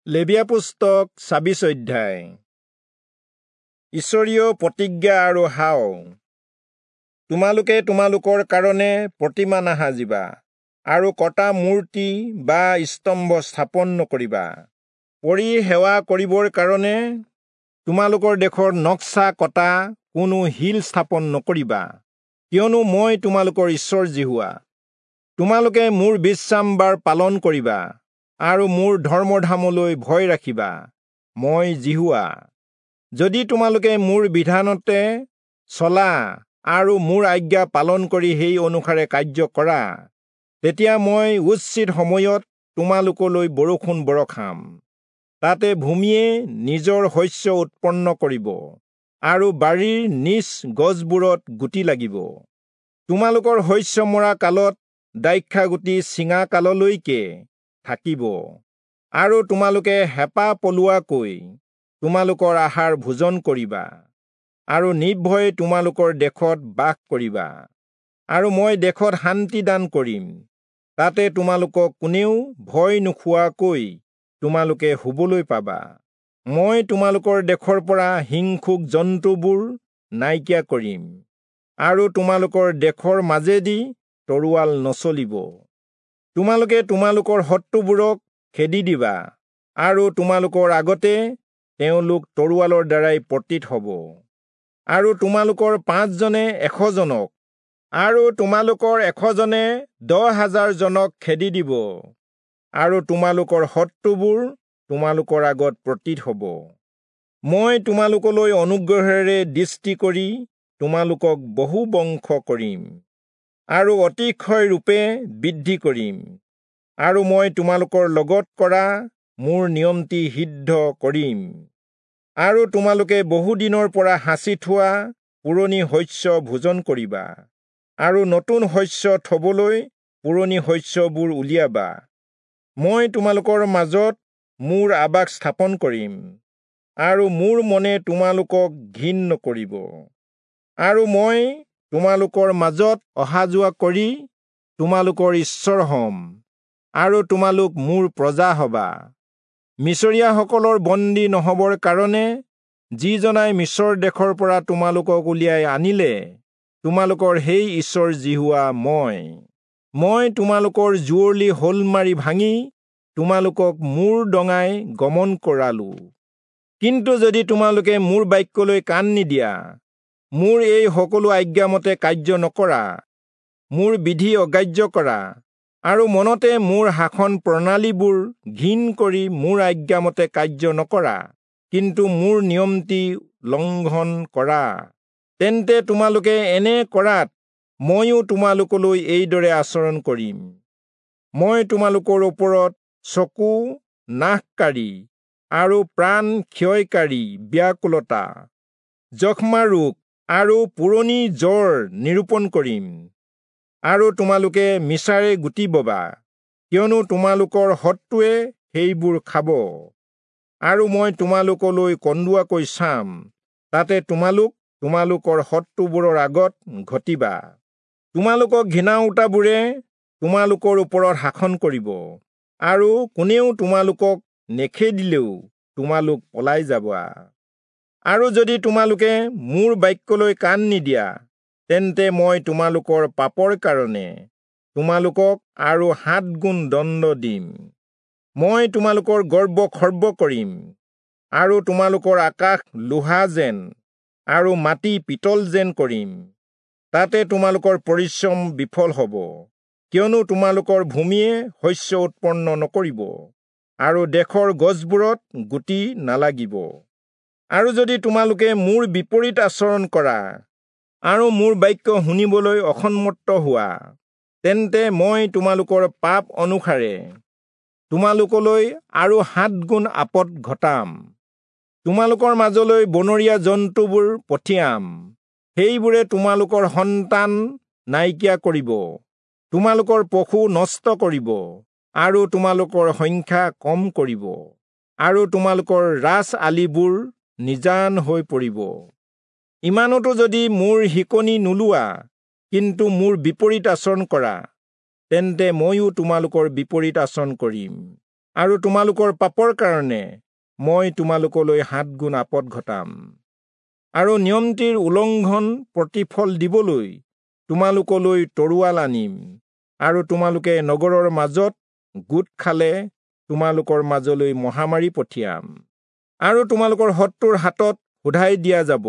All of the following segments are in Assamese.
লেবীয়া পুস্তক 26 অধ্যায়। ঈশ্বৰীয় প্ৰতিজ্ঞা আৰু হাও। তোমালোকে তোমালোকৰ কাৰণে প্ৰতিমা নাসাজিবা আৰু কটা মূৰ্তি বা স্তম্ভ স্থাপন নকৰিবা। পৰি সেৱা কৰিবৰ কাৰণে তোমালোকৰ দেশৰ নক্সা কটা কোনো শিল স্থাপন নকৰিবা, কিয়নো মই তোমালোকৰ ঈশ্বৰ যিহোৱা। তোমালোকে মোৰ বিশ্ৰামবাৰ পালন কৰিবা আৰু মোৰ ধৰ্মধামলৈ ভয় ৰাখিবা। মই যিহোৱা। যদি তোমালোকে মোৰ বিধানতে চলা আৰু মোৰ আজ্ঞা পালন কৰি সেই অনুসাৰে কাৰ্য কৰা, তেতিয়া মই উচিত সময়ত তোমালোকলৈ বৰষুণ বৰষাম। তাতে ভূমিয়ে নিজৰ শস্য উৎপন্ন কৰিব আৰু বাৰীৰ নিজ গছবোৰত গুটি লাগিব। তোমালোকৰ শস্য মৰা কালত দ্ৰাক্ষাগুটি ছিঙা কাললৈকে থাকিব আৰু তোমালোকে হেঁপাহ পলোৱাকৈ তোমালোকৰ আহাৰ ভোজন কৰিবা আৰু নিৰ্ভয়ে তোমালোকৰ দেশত বাস কৰিবা। আৰু মই দেশত শান্তি দান কৰিম, তাতে তোমালোকক কোনেও ভয় নোখোৱাকৈ তোমালোকে শুবলৈ পাবা। মই তোমালোকৰ দেশৰ পৰা হিংসুক জন্তুবোৰ নাইকিয়া কৰিম আৰু তোমালোকৰ দেশৰ মাজেদি তৰোৱাল নচলিব। তোমালোকে তোমালোকৰ শত্ৰুবোৰক খেদি দিবা আৰু তোমালোকৰ আগতে তেওঁলোক তৰোৱালৰ দ্বাৰাই পতিত হ'ব। আৰু তোমালোকৰ 5 জনে 100 জনক আৰু তোমালোকৰ 100 জনে 10,000 জনক খেদি দিব আৰু তোমালোকৰ শত্ৰুবোৰ তোমালোকৰ আগত পতিত হ'ব। মই তোমালোকলৈ অনুগ্ৰহেৰে দৃষ্টি কৰি তোমালোকক বহু বংশ কৰিম আৰু অতিশয় ৰূপে বৃদ্ধি কৰিম আৰু মই তোমালোকৰ লগত কৰা মোৰ নিয়মটি সিদ্ধ কৰিম। আৰু তোমালোকে বহুদিনৰ পৰা সাঁচি থোৱা পুৰণি শস্য ভোজন কৰিবা আৰু নতুন শস্য থবলৈ পুৰণি শস্যবোৰ উলিয়াবা। মই তোমালোকৰ মাজত মোৰ আৱাস স্থাপন কৰিম আৰু মোৰ মনে তোমালোকক ঘিণ নকৰিব। আৰু মই তোমালোকৰ মাজত অহা যোৱা কৰি তোমালোকৰ ঈশ্বৰ হ'ম আৰু তোমালোক মোৰ প্ৰজা হবা। মিছৰীয়াসকলৰ বন্দী নহবৰ কাৰণে যিজনাই মিছৰ দেশৰ পৰা তোমালোকক উলিয়াই আনিলে, তোমালোকৰ সেই ঈশ্বৰ যিহোৱা মই। মই তোমালোকৰ জুৱলি শ'ল মাৰি ভাঙি তোমালোকক মূৰ দঙাই গমন কৰালো। কিন্তু যদি তোমালোকে মোৰ বাক্যলৈ কাণ নিদিয়া, মোৰ এই সকলো আজ্ঞামতে কাৰ্য নকৰা, মোৰ বিধি অগ্ৰাহ্য কৰা আৰু মনতে মোৰ শাসন প্ৰণালীবোৰ ঘিণ কৰি মোৰ আজ্ঞামতে কাৰ্য নকৰা, কিন্তু মোৰ নিয়মটি লংঘন কৰা, তেন্তে তোমালোকে এনে কৰাত ময়ো তোমালোকলৈ এইদৰে আচৰণ কৰিম। মই তোমালোকৰ ওপৰত চকু নাশকাৰী আৰু প্ৰাণ ক্ষয়কাৰী ব্যাকুলতা, যক্ষ্মা ৰোগ আৰু পুৰণি জ্বৰ নিৰূপণ কৰিম আৰু তোমালোকে মিছাৰে গুটি ববা, কিয়নো তোমালোকৰ শত্ৰুৱে সেইবোৰ খাব। আৰু মই তোমালোকলৈ কন্দুৱাকৈ চাম, তাতে তোমালোক তোমালোকৰ শত্ৰুবোৰৰ আগত ঘটিবা। তোমালোকক ঘৃণাওতাবোৰে তোমালোকৰ ওপৰত শাসন কৰিব আৰু কোনেও তোমালোকক নেখেদিলেও তোমালোক পলাই যাবা। আৰু যদি তোমালোকে মোৰ বাক্যলৈ কাণ নিদিয়া, তেন্তে মই তোমালোকৰ পাপৰ কাৰণে তোমালোকক আৰু 7 গুণ দণ্ড দিম। মই তোমালোকৰ গৰ্ব খৰ্ব কৰিম আৰু তোমালোকৰ আকাশ লোহা যেন আৰু মাটি পিতল যেন কৰিম। তাতে তোমালোকৰ পৰিশ্ৰম বিফল হ'ব, কিয়নো তোমালোকৰ ভূমিয়ে শস্য উৎপন্ন নকৰিব আৰু দেশৰ গছবোৰত গুটি নালাগিব। আৰু যদি তোমালোকে মোৰ বিপৰীত আচৰণ কৰা আৰু মোৰ বাক্য শুনিবলৈ অসন্মত হোৱা, তেন্তে মই তোমালোকৰ পাপ অনুসাৰে তোমালোকলৈ আৰু 7 গুণ আপদ ঘটাম। তোমালোকৰ মাজলৈ বনৰীয়া জন্তুবোৰ পঠিয়াম, সেইবোৰে তোমালোকৰ সন্তান নাইকিয়া কৰিব, তোমালোকৰ পশু নষ্ট কৰিব আৰু তোমালোকৰ সংখ্যা কম কৰিব আৰু তোমালোকৰ ৰাজ আলিবোৰ নিজান হৈ পৰিব। ইমানতো যদি মোৰ শিকনি নোলোৱা, কিন্তু মোৰ বিপৰীত আচৰণ কৰা, তেন্তে ময়ো তোমালোকৰ বিপৰীত আচৰণ কৰিম। আৰু তোমালোকৰ পাপৰ কাৰণে মই তোমালোকলৈ 7 গুণ আপদ ঘটাম। আৰু নিয়মটিৰ উলংঘন প্ৰতিফল দিবলৈ তোমালোকলৈ তৰোৱাল আনিম, আৰু তোমালোকে নগৰৰ মাজত গোট খালে তোমালোকৰ মাজলৈ মহামাৰী পঠিয়াম, আৰু তোমালোকৰ শত্ৰুৰ হাতত সোধাই দিয়া যাব।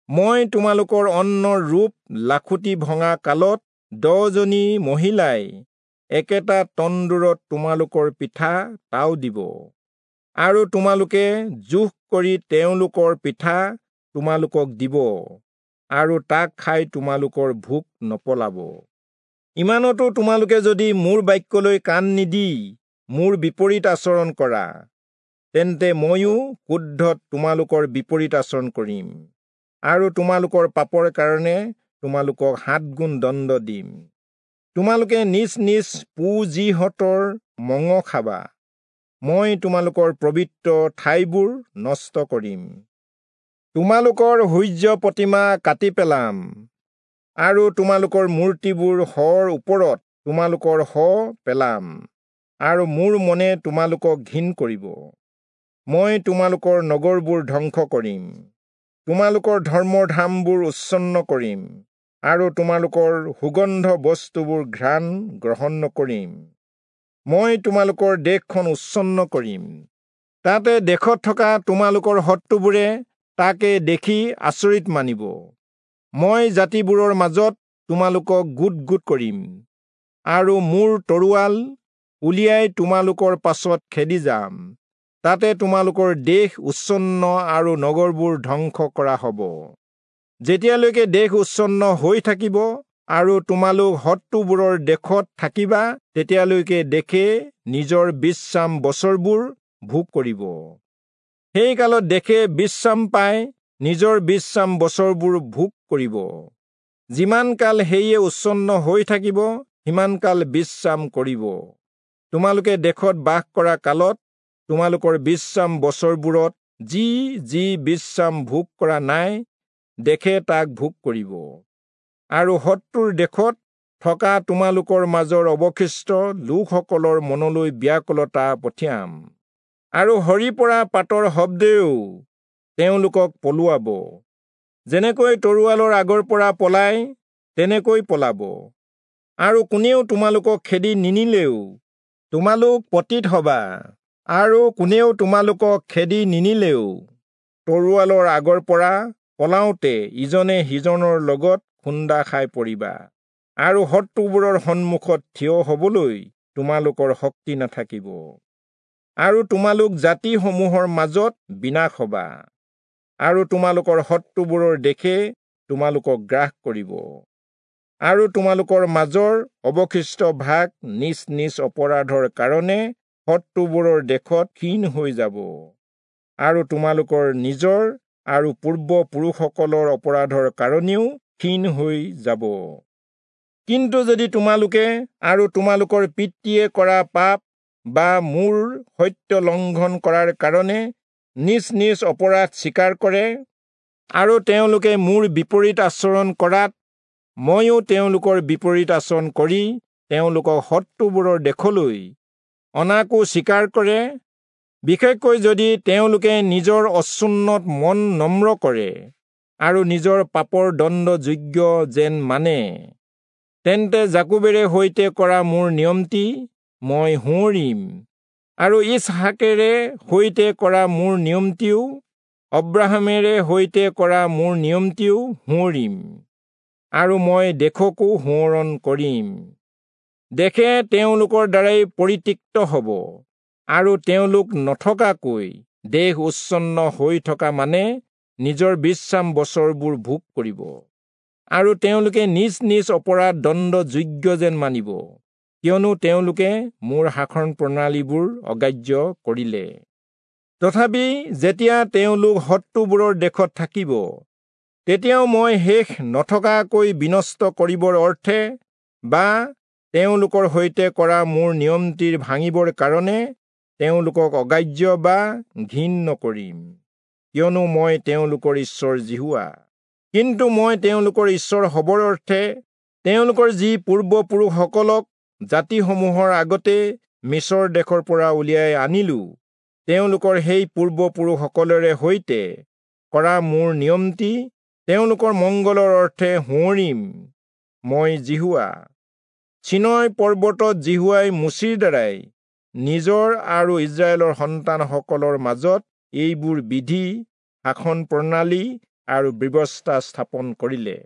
মই তোমালোকৰ অন্নৰ ৰূপ লাখুটি ভঙা কালত 10জনী মহিলাই একেটা তন্দুৰত তোমালোকৰ পিঠা তাও দিব, আৰু তোমালোকে জোখ কৰি তেওঁলোকৰ পিঠা তোমালোকক দিব, আৰু তাক খাই তোমালোকৰ ভোক নপলাব। ইমানতো তোমালোকে যদি মোৰ বাক্যলৈ কাণ নিদি মোৰ বিপৰীত আচৰণ কৰা, তেন্তে ময়ো ক্ৰোধত তোমালোকৰ বিপৰীত আচৰণ কৰিম, আৰু তোমালোকৰ পাপৰ কাৰণে তোমালোকক 7 গুণ দণ্ড দিম। তোমালোকে নিজ নিজ পুঁজিহঁতৰ মঙহ খাবা। মই তোমালোকৰ পবিত্ৰ ঠাইবোৰ নষ্ট কৰিম। তোমালোকৰ সূৰ্য প্ৰতিমা কাটি পেলাম, আৰু তোমালোকৰ মূৰ্তিবোৰ শৰ ওপৰত তোমালোকৰ শ পেলাম, আৰু মোৰ মনে তোমালোকক ঘিণ কৰিব। মই তোমালোকৰ নগৰবোৰ ধ্বংস কৰিম, তোমালোকৰ ধৰ্মধামবোৰ উচ্ছন্ন কৰিম, আৰু তোমালোকৰ সুগন্ধ বস্তুবোৰ ঘ্ৰাণ গ্ৰহণ নকৰিম। মই তোমালোকৰ দেশখন উচ্ছন্ন কৰিম, তাতে দেশত থকা তোমালোকৰ শত্ৰুবোৰে তাকে দেখি আচৰিত মানিব। মই জাতিবোৰৰ মাজত তোমালোকক গোট গোট কৰিম, আৰু মোৰ তৰোৱাল উলিয়াই তোমালোকৰ পাছত খেদি যাম। তাতে তোমালোকৰ দেশ উচ্ছন্ন আৰু নগৰবোৰ ধ্বংস কৰা হ'ব। যেতিয়ালৈকে দেশ উচ্ছন্ন হৈ থাকিব আৰু তোমালোক শত্ৰুবোৰৰ দেশত থাকিবা, তেতিয়ালৈকে দেশে নিজৰ বিশ্ৰাম বছৰবোৰ ভোগ কৰিব। সেই কালত দেশে বিশ্ৰাম পাই নিজৰ বিশ্ৰাম বছৰবোৰ ভোগ কৰিব। যিমান কাল সেয়ে উচ্ছন্ন হৈ থাকিব, সিমান কাল বিশ্ৰাম কৰিব। তোমালোকে দেশত বাস কৰা কালত তোমালোকৰ বিশ্ৰাম বছৰবোৰত যি যি বিশ্ৰাম ভোগ কৰা নাই, দেশে তাক ভোগ কৰিব। আৰু শত্ৰুৰ দেশত থকা তোমালোকৰ মাজৰ অৱশিষ্ট লোকসকলৰ মনলৈ ব্যাকুলতা পঠিয়াম, আৰু সৰি পৰা পাতৰ শব্দেও তেওঁলোকক পলুৱাব। যেনেকৈ তৰোৱালৰ আগৰ পৰা পলায়, তেনেকৈ পলাব। আৰু কোনেও তোমালোকক খেদি নিনিলেও তোমালোক পতিত হবা, আৰু কোনেও তোমালোকক খেদি নিনিলেও তৰোৱালৰ আগৰ পৰা পলাওঁতে ইজনে সিজনৰ লগত খুন্দা খাই পৰিবা, আৰু শত্ৰুবোৰৰ সন্মুখত থিয় হবলৈ তোমালোকৰ শক্তি নাথাকিব। আৰু তোমালোক জাতিসমূহৰ মাজত বিনাশ হবা, আৰু তোমালোকৰ শত্ৰুবোৰৰ দেশে তোমালোকক গ্ৰাস কৰিব। আৰু তোমালোকৰ মাজৰ অৱশিষ্ট ভাগ নিজ নিজ অপৰাধৰ কাৰণে শত্ৰুবোৰৰ দেশত ক্ষীণ হৈ যাব, আৰু তোমালোকৰ নিজৰ আৰু পূৰ্বপুৰুষসকলৰ অপৰাধৰ কাৰণেও ক্ষীণ হৈ যাব। কিন্তু যদি তোমালোকে আৰু তোমালোকৰ পিতৃয়ে কৰা পাপ বা মোৰ সত্য লংঘন কৰাৰ কাৰণে নিজ নিজ অপৰাধ স্বীকাৰ কৰে, আৰু তেওঁলোকে মোৰ বিপৰীত আচৰণ কৰাত ময়ো তেওঁলোকৰ বিপৰীত আচৰণ কৰি তেওঁলোকক শত্ৰুবোৰৰ দেশলৈ অনাকো স্বীকাৰ কৰে, বিশেষকৈ যদি তেওঁলোকে নিজৰ অচুন্নত মন নম্ৰ কৰে আৰু নিজৰ পাপৰ দণ্ড যোগ্য যেন মানে, তেন্তে যাকোবেৰে সৈতে কৰা মোৰ নিয়মটি মই সোঁৱৰিম, আৰু ইচহাকেৰে সৈতে কৰা মোৰ নিয়মটিও, অব্ৰাহামেৰে সৈতে কৰা মোৰ নিয়মটিও সোঁৱৰিম, আৰু মই দেশকো সোঁৱৰণ কৰিম। দেশে তেওঁলোকৰ দ্বাৰাই পৰিত্যক্ত হ'ব, আৰু তেওঁলোক নথকাকৈ দেশ উচ্ছন্ন হৈ থকা মানে নিজৰ বিশ্ৰাম বছৰবোৰ ভোগ কৰিব, আৰু তেওঁলোকে নিজ নিজ অপৰাধ দণ্ড যোগ্য যেন মানিব, কিয়নো তেওঁলোকে মোৰ শাসন প্ৰণালীবোৰ অগ্ৰাহ্য কৰিলে। তথাপি যেতিয়া তেওঁলোক শত্ৰুবোৰৰ দেশত থাকিব, তেতিয়াও মই শেষ নথকাকৈ বিনষ্ট কৰিবৰ অৰ্থে বা তেওঁলোকৰ সৈতে কৰা মোৰ নিয়মটিৰ ভাঙিবৰ কাৰণে তেওঁলোকক অগ্ৰাহ্য বা ঘিণ নকৰিম, কিয়নো মই তেওঁলোকৰ ঈশ্বৰ যিহোৱা। কিন্তু মই তেওঁলোকৰ ঈশ্বৰ হ'বৰ অৰ্থে তেওঁলোকৰ যি পূৰ্বপুৰুষসকলক জাতিসমূহৰ আগতে মিচৰ দেশৰ পৰা উলিয়াই আনিলো, তেওঁলোকৰ সেই পূৰ্বপুৰুষসকলেৰে সৈতে কৰা মোৰ নিয়মটি তেওঁলোকৰ মংগলৰ অৰ্থে সোঁৱৰিম। মই যিহোৱা। চীনয় পৰ্বতত যিহোৱাই মোচিৰ দ্বাৰাই নিজৰ আৰু ইস্ৰায়েলৰ সন্তানসকলৰ মাজত এইবোৰ বিধি, শাসন প্ৰণালী আৰু ব্যৱস্থা স্থাপন কৰিলে।